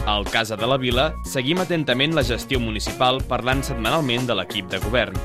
Al Casa de la Vila seguim atentament la gestió municipal parlant setmanalment de l'equip de govern.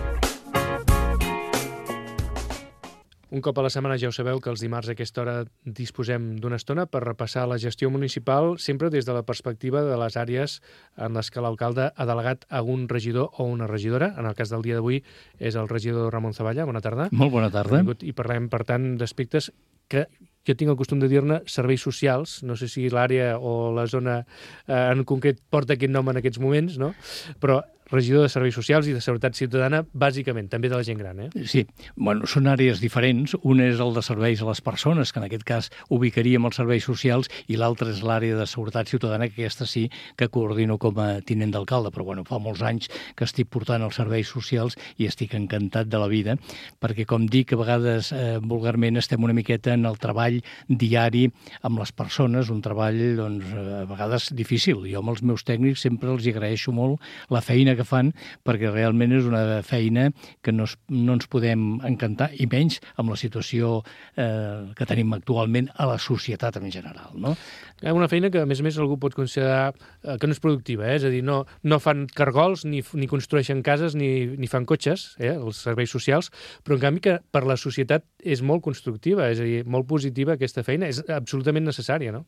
Un cop a la setmana ja ho sabeu que els dimarts a aquesta hora disposem d'una estona per repassar la gestió municipal sempre des de la perspectiva de les àrees en les que l'alcalde ha delegat algun regidor o una regidora. En el cas del dia d'avui és el regidor Ramon Zavalla. Bona tarda. Molt bona tarda. I parlem, per tant, d'aspectes que jo tinc el costum de dir-ne serveis socials. No sé si l'àrea o la zona en concret porta aquest nom en aquests moments, no? Però regidor de Serveis Socials i de Seguretat Ciutadana, bàsicament, també de la gent gran, Sí, bueno, són àrees diferents. Un és el de serveis a les persones, que en aquest cas ubicaríem els serveis socials, i l'altre és l'àrea de Seguretat Ciutadana, que aquesta sí que coordino com a tinent d'alcalde, però bueno, fa molts anys que estic portant els serveis socials i estic encantat de la vida, perquè com dic, a vegades vulgarment estem una miqueta en el treball diari amb les persones, un treball doncs, a vegades difícil. Jo amb els meus tècnics sempre els agraeixo molt la feina que fan, perquè realment és una feina que no ens podem encantar, i menys amb la situació que tenim actualment a la societat en general, no? Una feina que, a més, algú pot considerar que no és productiva, és a dir, no fan cargols, ni construeixen cases, ni fan cotxes, els serveis socials, però en canvi que per la societat és molt constructiva, és a dir, molt positiva aquesta feina, és absolutament necessària, no?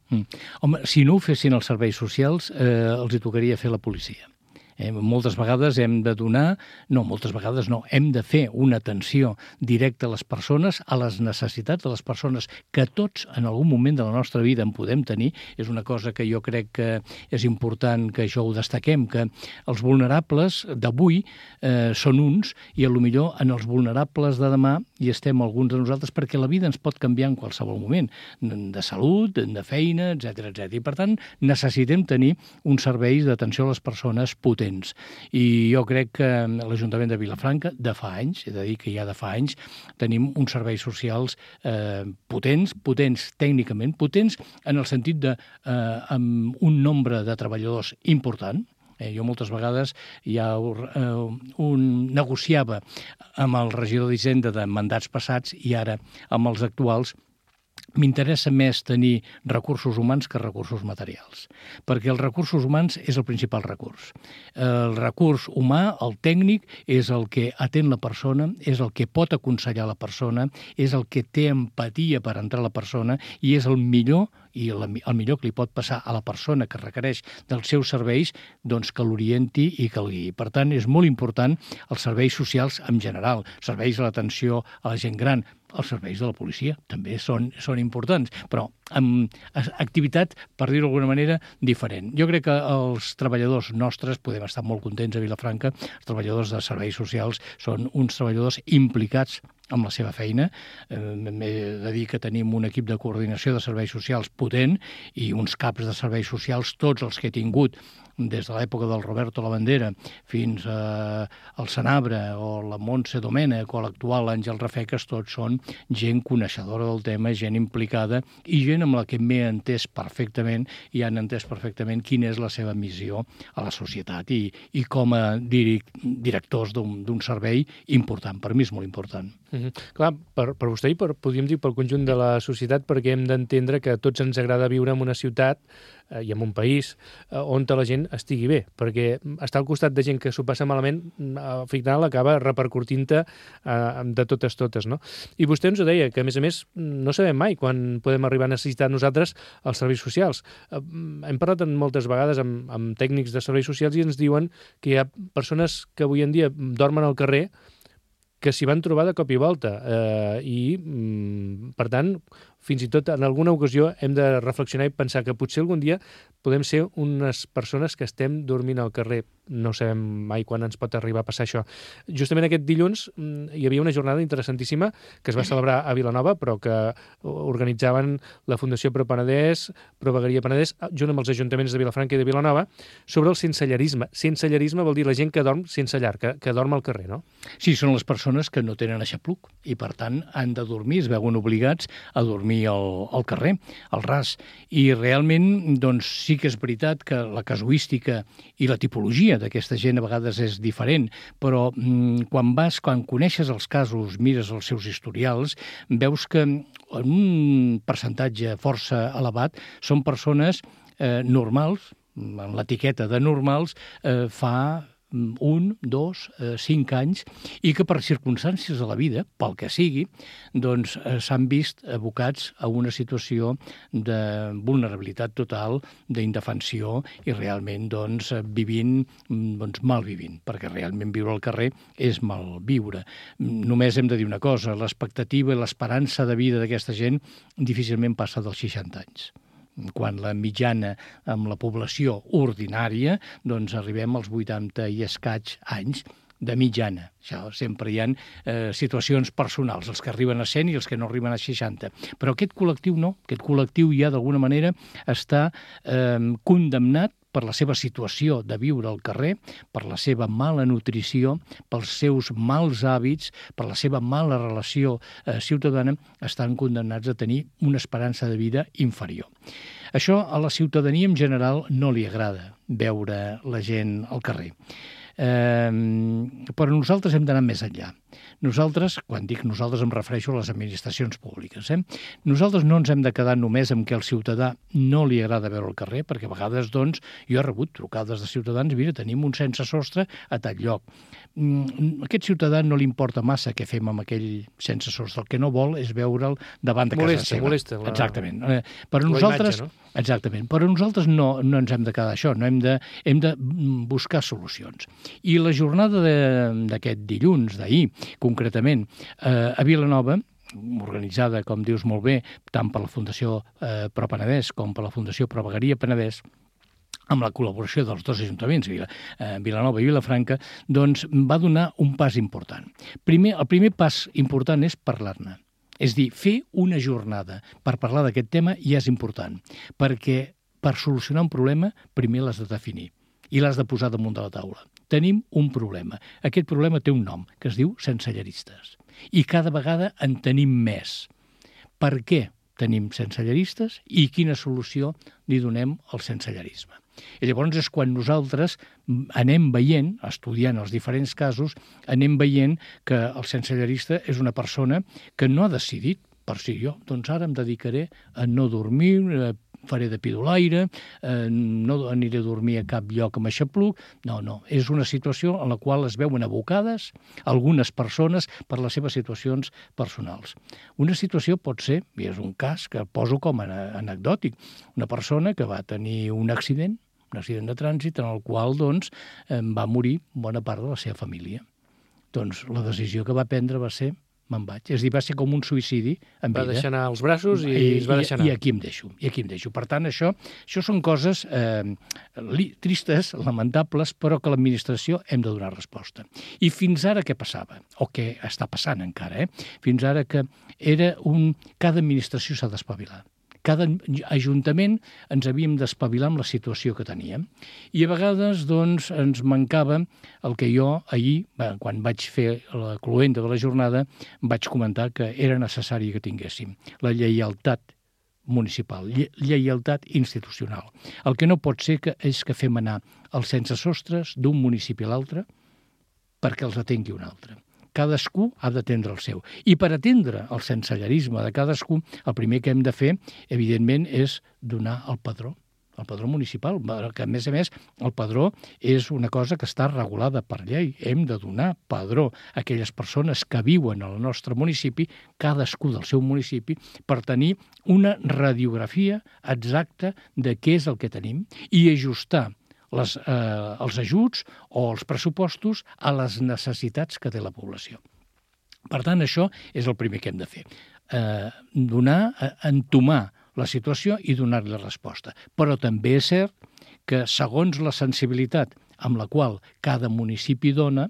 Home, si no ho fessin els serveis socials, els hi tocaria fer la policia. Moltes vegades hem de donar, hem de fer una atenció directa a les persones, a les necessitats de les persones, que tots en algun moment de la nostra vida en podem tenir. És una cosa que jo crec que és important que això ho destaquem, que els vulnerables d'avui són uns, i potser en els vulnerables de demà hi estem alguns de nosaltres, perquè la vida ens pot canviar en qualsevol moment, de salut, de feina, etc. I per tant necessitem tenir uns serveis d'atenció a les persones potents. I jo crec que l'Ajuntament de Vilafranca, de fa anys, he de dir que ja de fa anys, tenim uns serveis socials potents tècnicament, potents en el sentit de amb un nombre de treballadors important. Jo moltes vegades ja negociava amb el regidor d'Hisenda de mandats passats, i ara amb els actuals m'interessa més tenir recursos humans que recursos materials, perquè els recursos humans és el principal recurs. El recurs humà, el tècnic, és el que atén la persona, és el que pot aconsellar la persona, és el que té empatia per entrar a la persona, i és el millor el millor que li pot passar a la persona que requereix dels seus serveis, doncs que l'orienti i que el guiï. Per tant, és molt important els serveis socials en general, serveis a l'atenció a la gent gran, els serveis de la policia també són importants, però amb activitat, per dir-ho d'alguna manera, diferent. Jo crec que els treballadors nostres, podem estar molt contents a Vilafranca, els treballadors de serveis socials són uns treballadors implicats amb la seva feina. M'he de dir que tenim un equip de coordinació de serveis socials potent i uns caps de serveis socials, tots els que he tingut, des de l'època del Roberto Lavandera fins al Senabre o la Montse Domènech o l'actual Àngel Rafeques, tots són gent coneixedora del tema, gent implicada i gent amb la que m'he entès perfectament i han entès perfectament quina és la seva missió a la societat i com a directors d'un servei important. Per mi és molt important. Clar, per vostè i podríem dir pel conjunt de la societat, perquè hem d'entendre que a tots ens agrada viure en una ciutat i en un país on la gent estigui bé, perquè estar al costat de gent que s'ho passa malament al final acaba repercutint-te de totes, no? I vostè ens ho deia, que a més no sabem mai quan podem arribar a necessitar nosaltres els serveis socials. Hem parlat moltes vegades amb tècnics de serveis socials i ens diuen que hi ha persones que avui en dia dormen al carrer que s'hi van trobar de cop i volta i, per tant, fins i tot en alguna ocasió hem de reflexionar i pensar que potser algun dia podem ser unes persones que estem dormint al carrer. No sabem mai quan ens pot arribar a passar això. Justament aquest dilluns hi havia una jornada interessantíssima que es va celebrar a Vilanova, però que organitzaven la Fundació Pro Penedès, Pro Vegueria Penedès, junt amb els ajuntaments de Vilafranca i de Vilanova, sobre el sensellarisme. Sensellarisme vol dir la gent que dorm sense llar, que dorm al carrer, no? Sí, són les persones que no tenen aixapluc i, per tant, han de dormir, es veuen obligats a dormir al carrer, al ras. I realment, doncs, sí que és veritat que la casuística i la tipologia d'aquesta gent a vegades és diferent, però quan coneixes els casos, mires els seus historials, veus que en un percentatge força elevat són persones normals, en l'etiqueta de normals fa 1, 2, 5 anys, i que per circumstàncies de la vida, pel que sigui, doncs s'han vist abocats a una situació de vulnerabilitat total, d'indefensió, i realment doncs vivint, doncs mal vivint, perquè realment viure al carrer és mal viure. Només hem de dir una cosa, l'expectativa i l'esperança de vida d'aquesta gent difícilment passa dels 60 anys. Quan la mitjana amb la població ordinària, doncs arribem als 80 i escaig anys de mitjana. Això sempre hi ha situacions personals, els que arriben a 100 i els que no arriben a 60. Però aquest col·lectiu no, aquest col·lectiu ja d'alguna manera està condemnat per la seva situació de viure al carrer, per la seva mala nutrició, pels seus mals hàbits, per la seva mala relació ciutadana, estan condemnats a tenir una esperança de vida inferior. Això a la ciutadania en general no li agrada, veure la gent al carrer. Però nosaltres hem d'anar més enllà. Nosaltres, quan dic nosaltres em refereixo a les administracions públiques, nosaltres no ens hem de quedar només amb que al ciutadà no li agrada veure al carrer, perquè a vegades, doncs, jo he rebut trucades de ciutadans, mira, tenim un sense sostre a tal lloc. A aquest ciutadà no li importa massa què fem amb aquell sense sostre, el que no vol és veure'l davant de casa seva. Molesta. Exactament. Però nosaltres, imatge, no? Exactament. Però nosaltres no ens hem de quedar això, no hem de buscar solucions. I la jornada d'aquest dilluns, d'ahir, concretament, a Vilanova, organitzada, com dius molt bé, tant per la Fundació Pro Penedès com per la Fundació Pro Vegueria Penedès, amb la col·laboració dels dos ajuntaments, Vilanova i Vilafranca, doncs va donar un pas important. El primer pas important és parlar-ne. És dir, fer una jornada per parlar d'aquest tema ja és important, perquè per solucionar un problema primer l'has de definir i l'has de posar damunt de la taula. Tenim un problema. Aquest problema té un nom, que es diu senselleristes. I cada vegada en tenim més. Per què tenim senselleristes i quina solució li donem al sensellerisme? I llavors és quan nosaltres anem veient, estudiant els diferents casos, anem veient que el sensellerista és una persona que no ha decidit per si jo, doncs ara em dedicaré a no dormir, faré de pidolaire, no aniré a dormir a cap lloc amb aixapluc. No, és una situació en la qual es veuen abocades algunes persones per les seves situacions personals. Una situació pot ser, i és un cas que poso com a anecdòtic, una persona que va tenir un accident de trànsit en el qual doncs, va morir bona part de la seva família. Doncs la decisió que va prendre va ser me'n vaig. És a dir, va ser com un suïcidi en vida. Va deixar anar els braços i es va deixar anar. I aquí em deixo. Per tant, això són coses tristes, lamentables, però que l'administració hem de donar resposta. I fins ara què passava? O què està passant encara? Fins ara que cada administració s'ha d'espavilar. Cada ajuntament ens havíem d'espavilar amb la situació que teníem. I a vegades, doncs, ens mancava el que jo ahir, quan vaig fer la cloenda de la jornada, vaig comentar que era necessari que tinguéssim la lleialtat municipal, lleialtat institucional. El que no pot ser és que fem anar els sense sostres d'un municipi a l'altre perquè els atengui un altre. Cadascú ha d'atendre el seu. I per atendre el sensellerisme de cadascú, el primer que hem de fer, evidentment, és donar el padró municipal, que a més, el padró és una cosa que està regulada per llei. Hem de donar padró a aquelles persones que viuen al nostre municipi, cadascú del seu municipi, per tenir una radiografia exacta de què és el que tenim i ajustar els ajuts o els pressupostos a les necessitats que té la població. Per tant, això és el primer que hem de fer. Entomar la situació i donar-li resposta. Però també és cert que, segons la sensibilitat amb la qual cada municipi dona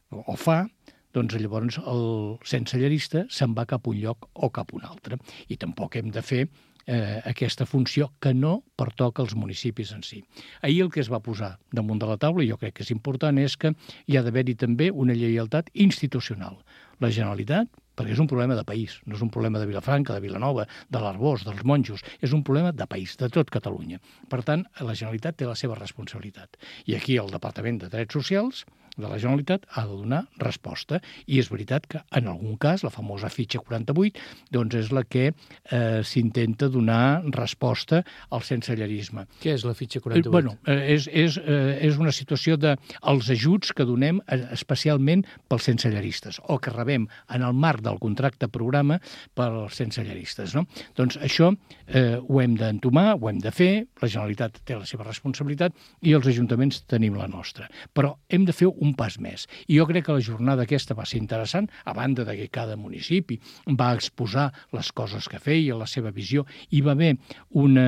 o fa, doncs llavors el sensellerista se'n va cap a un lloc o cap a un altre. I tampoc hem de fer aquesta funció que no pertoca als municipis en si. Ahir el que es va posar damunt de la taula, i jo crec que és important, és que hi ha d'haver-hi també una lleialtat institucional. La Generalitat, perquè és un problema de país, no és un problema de Vilafranca, de Vilanova, de l'Arboç, dels monjos, és un problema de país, de tot Catalunya. Per tant, la Generalitat té la seva responsabilitat. I aquí el Departament de Drets Socials de la Generalitat ha de donar resposta. I és veritat que, en algun cas, la famosa fitxa 48, doncs és la que s'intenta donar resposta al sensellarisme. Què és la fitxa 48? Bueno, és una situació dels ajuts que donem especialment pels sensellaristes o que rebem en el marc del contracte programa pels sensellaristes, no? Doncs això ho hem d'entomar, ho hem de fer, la Generalitat té la seva responsabilitat i els ajuntaments tenim la nostra. Però hem de fer un pas més. I jo crec que la jornada aquesta va ser interessant, a banda de que cada municipi va exposar les coses que feia, la seva visió. Hi va haver una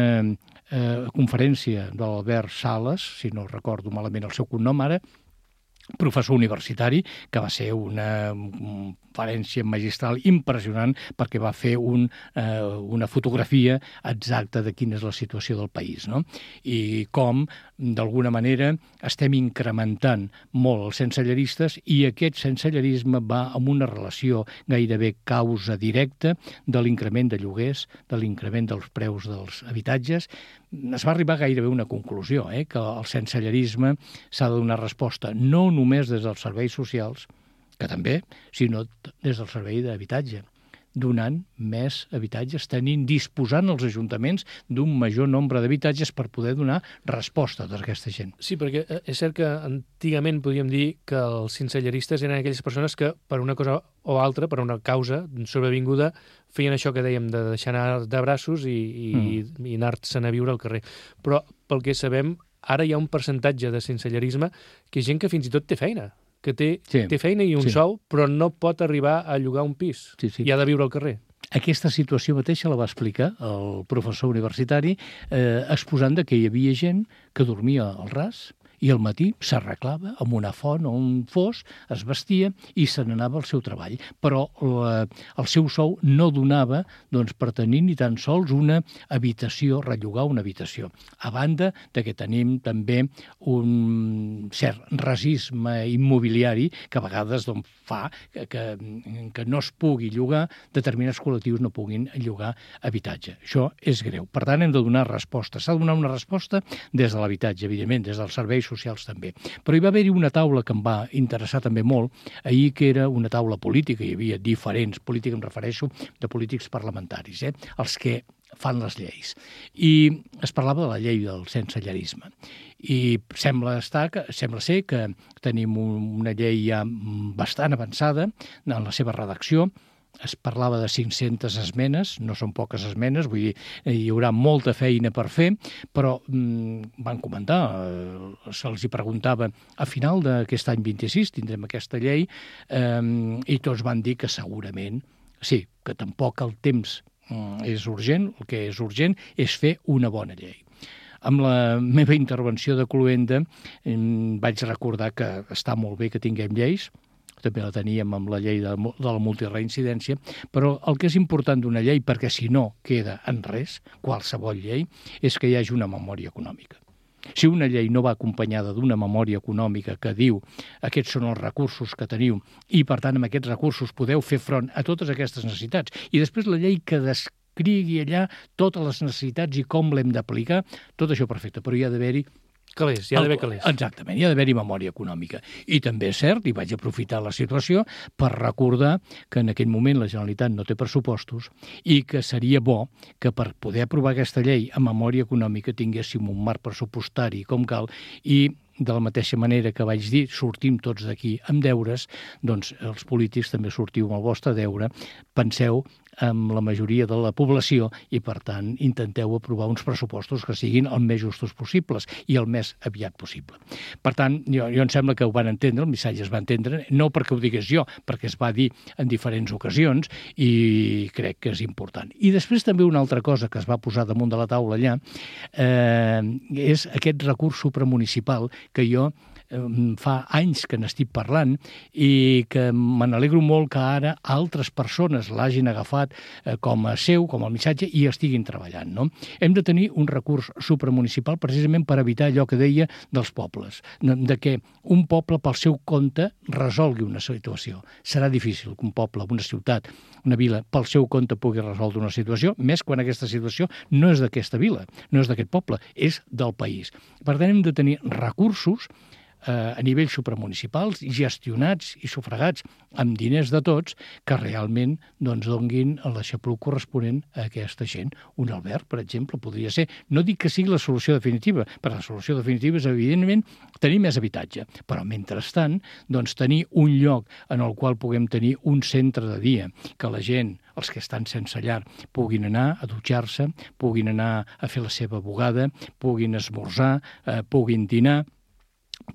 conferència de l'Albert Sales, si no recordo malament el seu cognom ara, professor universitari, que va ser una conferència magistral impressionant perquè va fer una fotografia exacta de quina és la situació del país, no? I com, d'alguna manera, estem incrementant molt els sensellaristes i aquest sensellarisme va amb una relació gairebé causa directa de l'increment de lloguers, de l'increment dels preus dels habitatges. Es va arribar gairebé a una conclusió, que el sensellarisme s'ha de donar resposta no només des dels serveis socials, que també, sinó des del servei d'habitatge, donant més habitatges, disposant els ajuntaments d'un major nombre d'habitatges per poder donar resposta a tota aquesta gent. Sí, perquè és cert que antigament podíem dir que els sensellaristes eren aquelles persones que per una cosa o altra, per una causa sobrevinguda, feien això que dèiem de deixar anar de braços i anar-se'n a viure al carrer. Però pel que sabem, ara hi ha un percentatge de sensellarisme que és gent que fins i tot té feina, que té feina i un sou, però no pot arribar a llogar un pis i ha de viure al carrer. Aquesta situació mateixa la va explicar el professor universitari exposant que hi havia gent que dormia al ras i al matí s'arreglava amb una font o un fos, es vestia i se n'anava al seu treball. Però el seu sou no donava per tenir ni tan sols una habitació, rellogar una habitació. A banda de que tenim també un cert racisme immobiliari que a vegades fa que no es pugui llogar, determinats col·lectius no puguin llogar habitatge. Això és greu. Per tant, hem de donar resposta. S'ha de donar una resposta des de l'habitatge, evidentment, des dels serveis socials també. Però hi va haver-hi una taula que em va interessar també molt, ahir, que era una taula política, hi havia diferents polítics, em refereixo de polítics parlamentaris, els que fan les lleis. I es parlava de la llei del sensellarisme. I sembla ser que tenim una llei ja bastant avançada en la seva redacció. Es parlava de 500 esmenes, no són poques esmenes, vull dir, hi haurà molta feina per fer, però van comentar, se'ls hi preguntava, a final d'aquest any 26 tindrem aquesta llei, i tots van dir que segurament, sí, que tampoc el temps és urgent, el que és urgent és fer una bona llei. Amb la meva intervenció de cloenda vaig recordar que està molt bé que tinguem lleis, també la teníem amb la llei de la multireincidència, però el que és important d'una llei, perquè si no queda en res, qualsevol llei, és que hi hagi una memòria econòmica. Si una llei no va acompanyada d'una memòria econòmica que diu aquests són els recursos que teniu i, per tant, amb aquests recursos podeu fer front a totes aquestes necessitats, i després la llei que descrigui allà totes les necessitats i com l'hem d'aplicar, tot això perfecte, però hi ha d'haver-hi calés, hi ha d'haver calés. Exactament, hi ha d'haver-hi memòria econòmica. I també és cert, i vaig aprofitar la situació per recordar que en aquell moment la Generalitat no té pressupostos i que seria bo que per poder aprovar aquesta llei amb memòria econòmica tinguéssim un marc pressupostari com cal i de la mateixa manera que vaig dir, sortim tots d'aquí amb deures, doncs els polítics també sortiu amb el vostre deure, penseu amb la majoria de la població i, per tant, intenteu aprovar uns pressupostos que siguin el més justos possibles i el més aviat possible. Per tant, jo em sembla que ho van entendre, el missatge es va entendre, no perquè ho digués jo, perquè es va dir en diferents ocasions i crec que és important. I després també una altra cosa que es va posar damunt de la taula allà és aquest recurs supramunicipal que jo fa anys que n'estic parlant i que me n'alegro molt que ara altres persones l'hagin agafat com a seu, com a missatge i estiguin treballant, no? Hem de tenir un recurs supramunicipal precisament per evitar allò que deia dels pobles, de que un poble pel seu compte resolgui una situació. Serà difícil que un poble, una ciutat, una vila, pel seu compte pugui resoldre una situació, més quan aquesta situació no és d'aquesta vila, no és d'aquest poble, és del país. Per tant, hem de tenir recursos a nivell supramunicipals, gestionats i sufragats amb diners de tots, que realment donguin l'aixapluc corresponent a aquesta gent. Un alberg, per exemple, podria ser. No dic que sigui la solució definitiva, però la solució definitiva és, evidentment, tenir més habitatge. Però, mentrestant, tenir un lloc en el qual puguem tenir un centre de dia, que la gent, els que estan sense llar, puguin anar a dutxar-se, puguin anar a fer la seva bugada, puguin esmorzar, puguin dinar,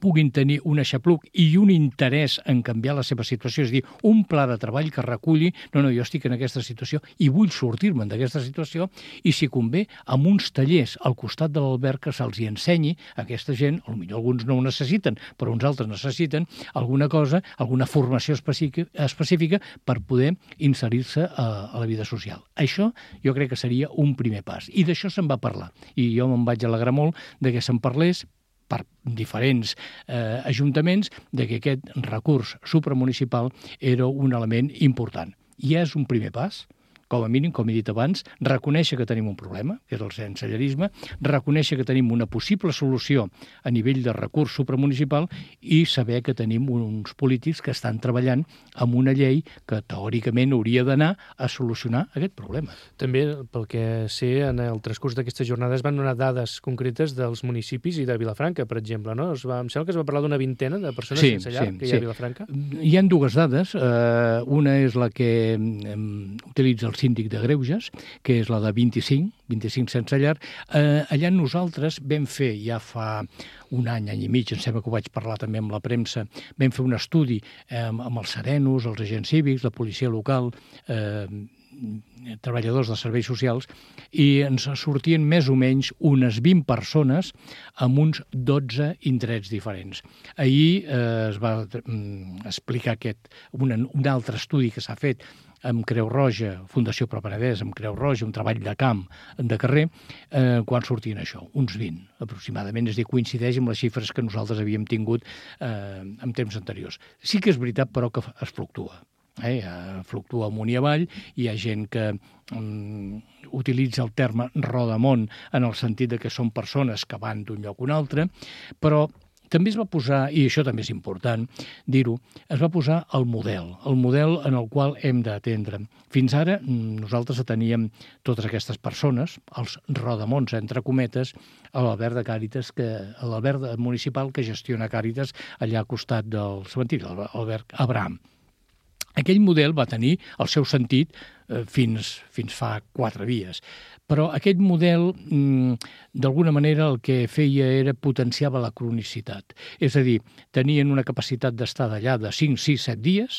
puguin tenir un aixapluc i un interès en canviar la seva situació, és a dir, un pla de treball que reculli no, jo estic en aquesta situació i vull sortir-me'n d'aquesta situació, i si convé, amb uns tallers al costat de l'alberg que se'ls hi ensenyi a aquesta gent, potser alguns no ho necessiten, però uns altres necessiten alguna cosa, alguna formació específica per poder inserir-se a la vida social. Això jo crec que seria un primer pas, i d'això se'n va parlar, i jo me'n vaig alegrar molt de que se'n parlés per diferents ajuntaments, de que aquest recurs supramunicipal era un element important. I és un primer pas, com a mínim, com he dit abans, reconèixer que tenim un problema, que és el sensellarisme, reconèixer que tenim una possible solució a nivell de recurs supramunicipal i saber que tenim uns polítics que estan treballant amb una llei que teòricament hauria d'anar a solucionar aquest problema. També, pel que sé, en el transcurs d'aquestes jornades van donar dades concretes dels municipis i de Vilafranca, per exemple, no? Em sembla que es va parlar d'una vintena de persones sense llar que hi ha a Vilafranca. Hi ha dues dades. Una és la que utilitza el síndic de Greuges, que és la de 25 sense llar. Allà nosaltres vam fer, ja fa un any i mig, em sembla que ho vaig parlar també amb la premsa, vam fer un estudi amb els serenos, els agents cívics, la policia local, treballadors de serveis socials, i ens sortien més o menys unes 20 persones amb uns 12 indrets diferents. Ahir es va explicar un altre estudi que s'ha fet amb Creu Roja, Fundació Pro Penedès, amb Creu Roja, un treball de camp, de carrer, quan sortien això, uns 20 aproximadament, és a dir, coincideix amb les xifres que nosaltres havíem tingut en temps anteriors. Sí que és veritat, però, que es fluctua. Fluctua amunt i avall, hi ha gent que utilitza el terme rodamont en el sentit de que són persones que van d'un lloc a un altre, però també es va posar, i això també és important dir-ho, es va posar el model en el qual hem d'atendre. Fins ara nosaltres ateníem totes aquestes persones, els rodamonts, entre cometes, a l'alberg de Càritas, a l'alberg municipal que gestiona Càritas allà al costat del cementiri, l'alberg Abraham. Aquell model va tenir el seu sentit fins fa 4 dies. Però aquest model, d'alguna manera, el que feia era potenciava la cronicitat. És a dir, tenien una capacitat d'estar d'allà de 5, 6, 7 dies,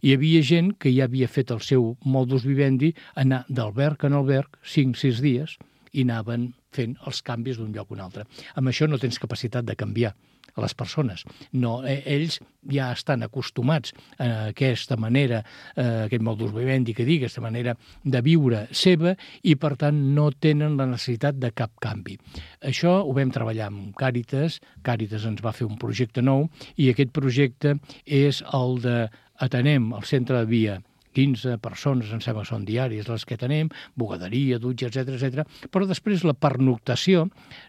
i hi havia gent que ja havia fet el seu modus vivendi, anar d'alberg en alberg 5, 6 dies, i anaven fent els canvis d'un lloc a un altre. Amb això no tens capacitat de canviar a les persones. No, ells ja estan acostumats a aquesta manera, aquest modus vivendi que dic, aquesta manera de viure seva, i per tant no tenen la necessitat de cap canvi. Això ho vam treballar amb Càritas. Càritas ens va fer un projecte nou, i aquest projecte és el de atenem al centre de dia 15 persones, em sembla que són diàries les que tenem, bugaderia, dutxa, etc. Però després la pernoctació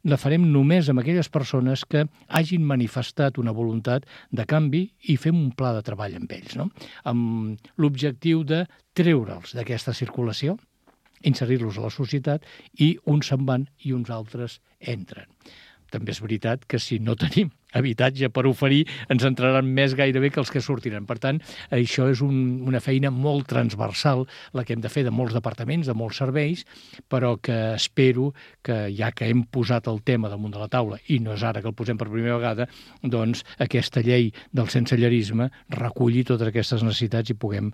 la farem només amb aquelles persones que hagin manifestat una voluntat de canvi, i fem un pla de treball amb ells, no? Amb l'objectiu de treure'ls d'aquesta circulació, inserir-los a la societat, i uns se'n van i uns altres entren. També és veritat que si no tenim habitatge per oferir, ens entraran més gairebé que els que sortiran. Per tant, això és una feina molt transversal, la que hem de fer de molts departaments, de molts serveis, però que espero que, ja que hem posat el tema damunt de la taula, i no és ara que el posem per primera vegada, doncs aquesta llei del sensellarisme reculli totes aquestes necessitats i puguem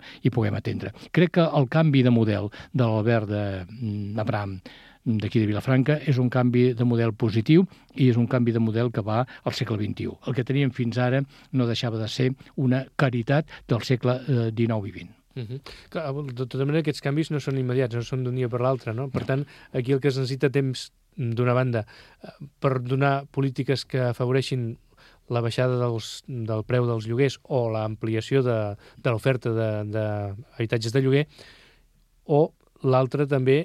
atendre. Crec que el canvi de model de l'alberg d'Abraham d'aquí de Vilafranca és un canvi de model positiu, i és un canvi de model que va al segle XXI. El que teníem fins ara no deixava de ser una caritat del segle XIX i XX. Clar, de tota manera, aquests canvis no són immediats, no són d'un dia per l'altre, no? Per tant, aquí el que es necessita temps, d'una banda, per donar polítiques que afavoreixin la baixada del preu dels lloguers o l'ampliació de l'oferta d'habitatges de lloguer, o l'altre també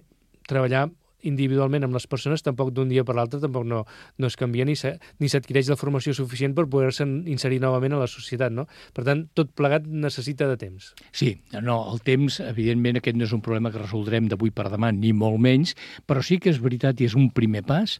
treballar individualment amb les persones, tampoc d'un dia per l'altre tampoc no es canvia ni s'adquireix la formació suficient per poder-se inserir novament a la societat, no? Per tant, tot plegat necessita de temps. Sí, no, el temps, evidentment, aquest no és un problema que resoldrem d'avui per demà, ni molt menys, però sí que és veritat i és un primer pas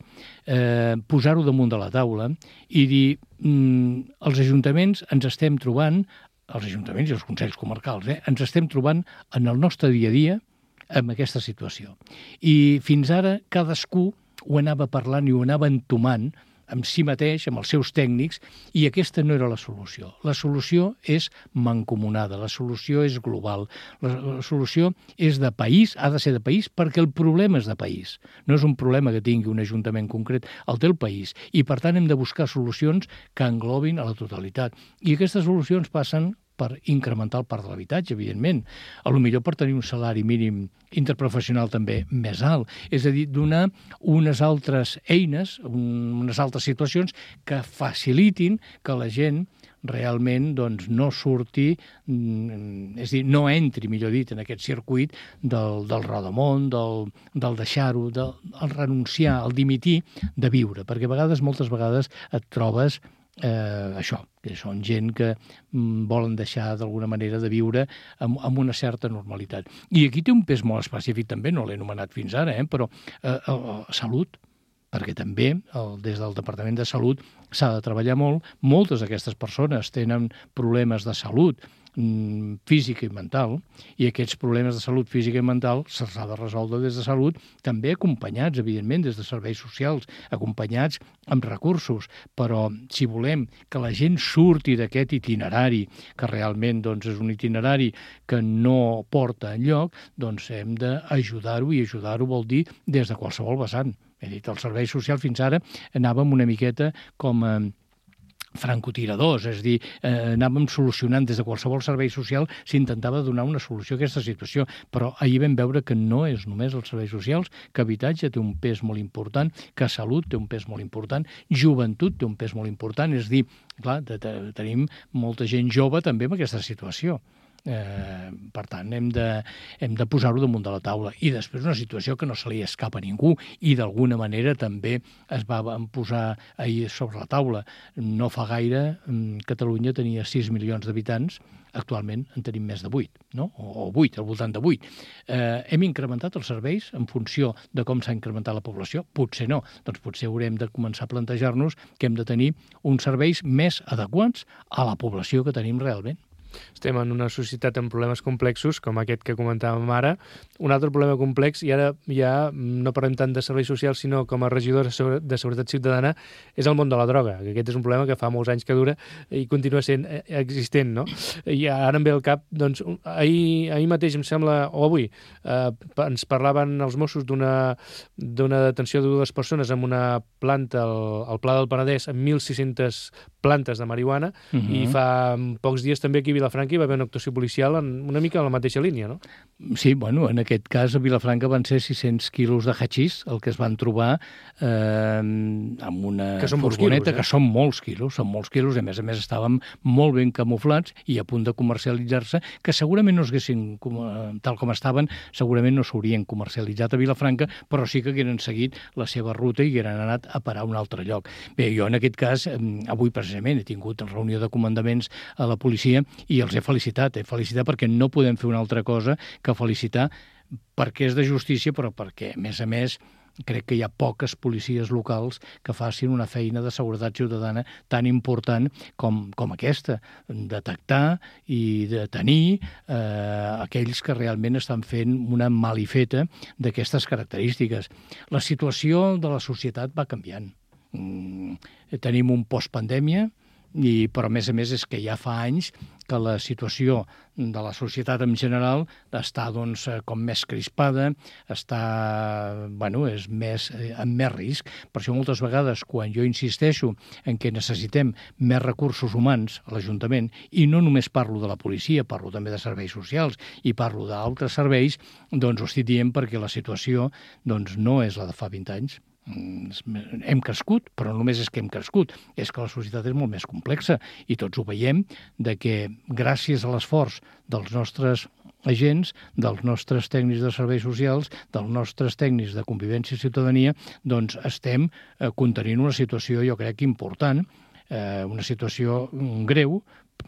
posar-ho damunt de la taula i dir els ajuntaments ens estem trobant, els ajuntaments i els consells comarcals, ens estem trobant en el nostre dia a dia amb aquesta situació. I fins ara cadascú ho anava parlant i ho anava entomant amb si mateix, amb els seus tècnics, i aquesta no era la solució. La solució és mancomunada, la solució és global, la solució és de país, ha de ser de país, perquè el problema és de país. No és un problema que tingui un ajuntament concret, el té el país, i per tant hem de buscar solucions que englobin a la totalitat. I aquestes solucions passen per incrementar el parc de l'habitatge, evidentment. A lo millor per tenir un salari mínim interprofessional també més alt. És a dir, donar unes altres eines, unes altres situacions que facilitin que la gent realment doncs, no surti, és a dir, no entri, millor dit, en aquest circuit del rodamont, del deixar-ho, del renunciar, el dimitir de viure, perquè moltes vegades et trobes això, que són gent que volen deixar d'alguna manera de viure amb una certa normalitat. I aquí té un pes molt específic també, no l'he anomenat fins ara, però salut, perquè també des del Departament de Salut s'ha de treballar molt. Moltes d'aquestes persones tenen problemes de salut física i mental, i aquests problemes de salut física i mental se'ls ha de resoldre des de Salut, també acompanyats, evidentment, des de serveis socials, acompanyats amb recursos, però si volem que la gent surti d'aquest itinerari, que realment doncs, és un itinerari que no porta enlloc, doncs hem d'ajudar-ho, i ajudar-ho vol dir des de qualsevol vessant. He dit, el servei social fins ara anàvem una miqueta com a francotiradors, és a dir, anàvem solucionant des de qualsevol servei social, s'intentava donar una solució a aquesta situació, però ahir vam veure que no és només els serveis socials, que habitatge té un pes molt important, que salut té un pes molt important, joventut té un pes molt important, és a dir, clar, tenim molta gent jove també en aquesta situació. Per tant, hem de posar-ho damunt de la taula. I després una situació que no se li escapa a ningú, i d'alguna manera també es va posar ahir sobre la taula. No fa gaire Catalunya tenia 6 milions d'habitants, actualment en tenim més de 8, no? O 8, al voltant de 8. Hem incrementat els serveis en funció de com s'ha incrementat la població? Potser no. Doncs potser haurem de començar a plantejar-nos que hem de tenir uns serveis més adequats a la població que tenim realment. Estem en una societat amb problemes complexos, com aquest que comentàvem ara. Un altre problema complex, i ara ja no parlem tant de serveis socials, sinó com a regidor de Seguretat Ciutadana, és el món de la droga. Aquest és un problema que fa molts anys que dura i continua sent existent, no? I ara em ve al cap, doncs, ahir mateix, em sembla, o avui, ens parlaven els Mossos d'una detenció de 2 persones en una planta al Pla del Penedès amb 1.600 plantes de marihuana, i fa pocs dies també aquí a Vilafranca hi va haver una actuació policial una mica en la mateixa línia, no? Sí, bueno, en aquest cas a Vilafranca van ser 600 quilos de hachís el que es van trobar amb una furgoneta, que són molts quilos, i a més estàvem molt ben camuflats i a punt de comercialitzar-se, que segurament no es haguessin, tal com estaven, segurament no s'haurien comercialitzat a Vilafranca, però sí que hagueren seguit la seva ruta i hagueren anat a parar a un altre lloc. Bé, jo en aquest cas, avui precisament he tingut reunió de comandaments a la policia i els he felicitat perquè no podem fer una altra cosa que felicitar, perquè és de justícia, però perquè, a més, crec que hi ha poques policies locals que facin una feina de seguretat ciutadana tan important com aquesta, detectar i detenir aquells que realment estan fent una malifeta d'aquestes característiques. La situació de la societat va canviant. Tenim un postpandèmia, però a més és que ja fa anys que la situació de la societat en general està doncs, com més crispada, és amb més risc. Per això moltes vegades, quan jo insisteixo en que necessitem més recursos humans a l'Ajuntament, i no només parlo de la policia, parlo també de serveis socials i parlo d'altres serveis, doncs ho estic dient perquè la situació doncs, no és la de fa 20 anys. Hem crescut, però no només és que hem crescut, és que la societat és molt més complexa i tots ho veiem, de que gràcies a l'esforç dels nostres agents, dels nostres tècnics de serveis socials, dels nostres tècnics de convivència i ciutadania, doncs estem contenint una situació, jo crec, important, una situació greu,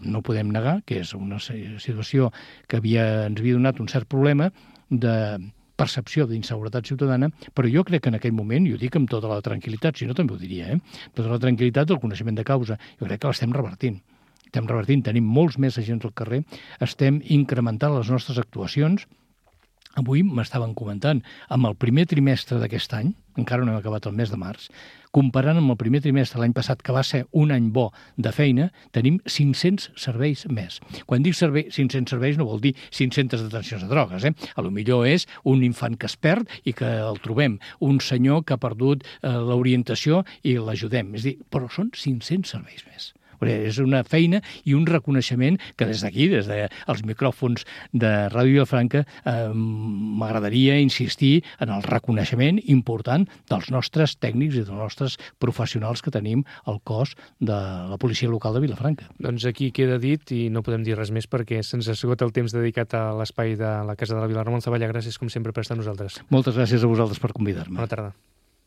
no podem negar que és una situació que ens havia donat un cert problema de percepció d'inseguretat ciutadana, però jo crec que en aquell moment, i ho dic amb tota la tranquil·litat, si no també ho diria, tota la tranquil·litat del coneixement de causa, jo crec que l'estem revertint. Tenim molts més agents al carrer, estem incrementant les nostres actuacions. Avui m'estaven comentant, amb el primer trimestre d'aquest any, encara no hem acabat el mes de març, comparant amb el primer trimestre l'any passat, que va ser un any bo de feina, tenim 500 serveis més. Quan dic 500 serveis no vol dir 500 detencions de drogues. A lo millor és un infant que es perd i que el trobem, un senyor que ha perdut l'orientació i l'ajudem. És a dir, però són 500 serveis més. És una feina i un reconeixement que des d'aquí, des dels micròfons de Ràdio Vilafranca, m'agradaria insistir en el reconeixement important dels nostres tècnics i dels nostres professionals que tenim al cos de la policia local de Vilafranca. Doncs aquí queda dit i no podem dir res més perquè se'ns ha esgotat el temps dedicat a l'espai de la Casa de la Vila. Ramon Zavalla, gràcies com sempre per estar amb nosaltres. Moltes gràcies a vosaltres per convidar-me. Bona tarda.